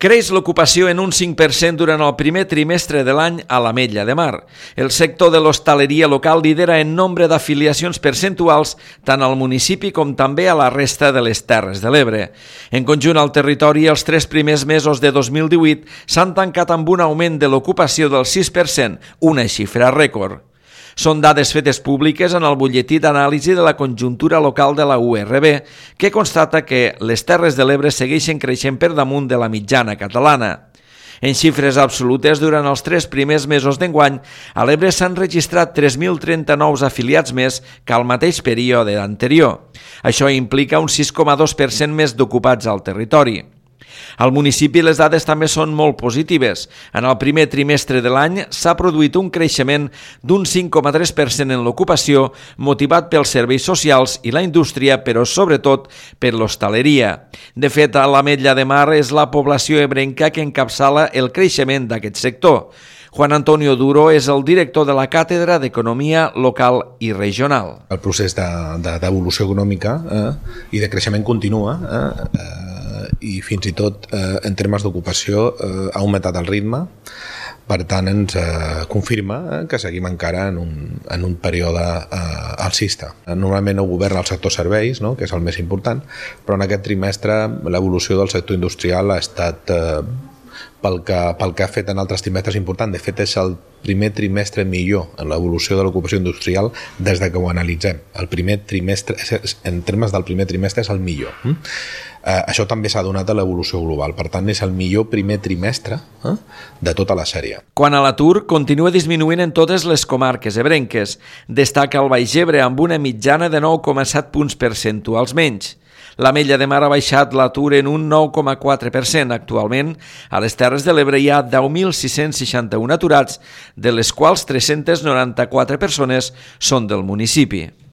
Creix l'ocupació en un 5% durant el primer trimestre de l'any a l'Ametlla de Mar. El sector de l'hostaleria local lidera en nombre d'afiliacions percentuals tant al municipi com també a la resta de les Terres de l'Ebre. En conjunt al territori, els 3 primers mesos de 2018 s'han tancat amb un augment de l'ocupació del 6%, una xifra rècord. Són dades fetes públiques en el butlletí d'anàlisi de la conjuntura local de la URB, que constata que les Terres de l'Ebre segueixen creixent per damunt de la mitjana catalana. En xifres absolutes, durant els 3 primers mesos d'enguany, a l'Ebre s'han registrat 3.039 afiliats més que al mateix període anterior. Això implica un 6,2% més d'ocupats al territori. Al municipi les dades també són molt positives. En el primer trimestre de l'any s'ha produït un creixement d'un 5,3% en l'ocupació, motivat pels serveis socials i la indústria, però sobretot per l'hostaleria. De fet, a l'Ametlla de Mar és la població ebrenca que encapçala el creixement d'aquest sector. Juan Antonio Duro és el director de la Càtedra d'Economia Local i Regional. El procés d'evolució econòmica i de creixement continua i fins i tot en termes d'ocupació ha augmentat el ritme. Per tant, ens confirma que seguim encara en un període alcista. Normalment ho governa el sector serveis, no?, que és el més important, però en aquest trimestre l'evolució del sector industrial ha estat pel que ha fet en altres trimestres important. De fet, és el primer trimestre millor en l'evolució de l'ocupació industrial des de que ho analitzem. El primer trimestre, en termes del primer trimestre, és el millor. Això també s'ha donat a l'evolució global. Per tant, és el millor primer trimestre de tota la sèrie. Quant a l'atur, continua disminuint en totes les comarques ebrenques. Destaca el Baix Ebre amb una mitjana de 9,7 punts percentuals menys. L'Ametlla de Mar ha baixat l'atur en un 9,4%. Actualment, a les Terres de l'Ebre hi ha 10.661 aturats, de les quals 394 persones són del municipi.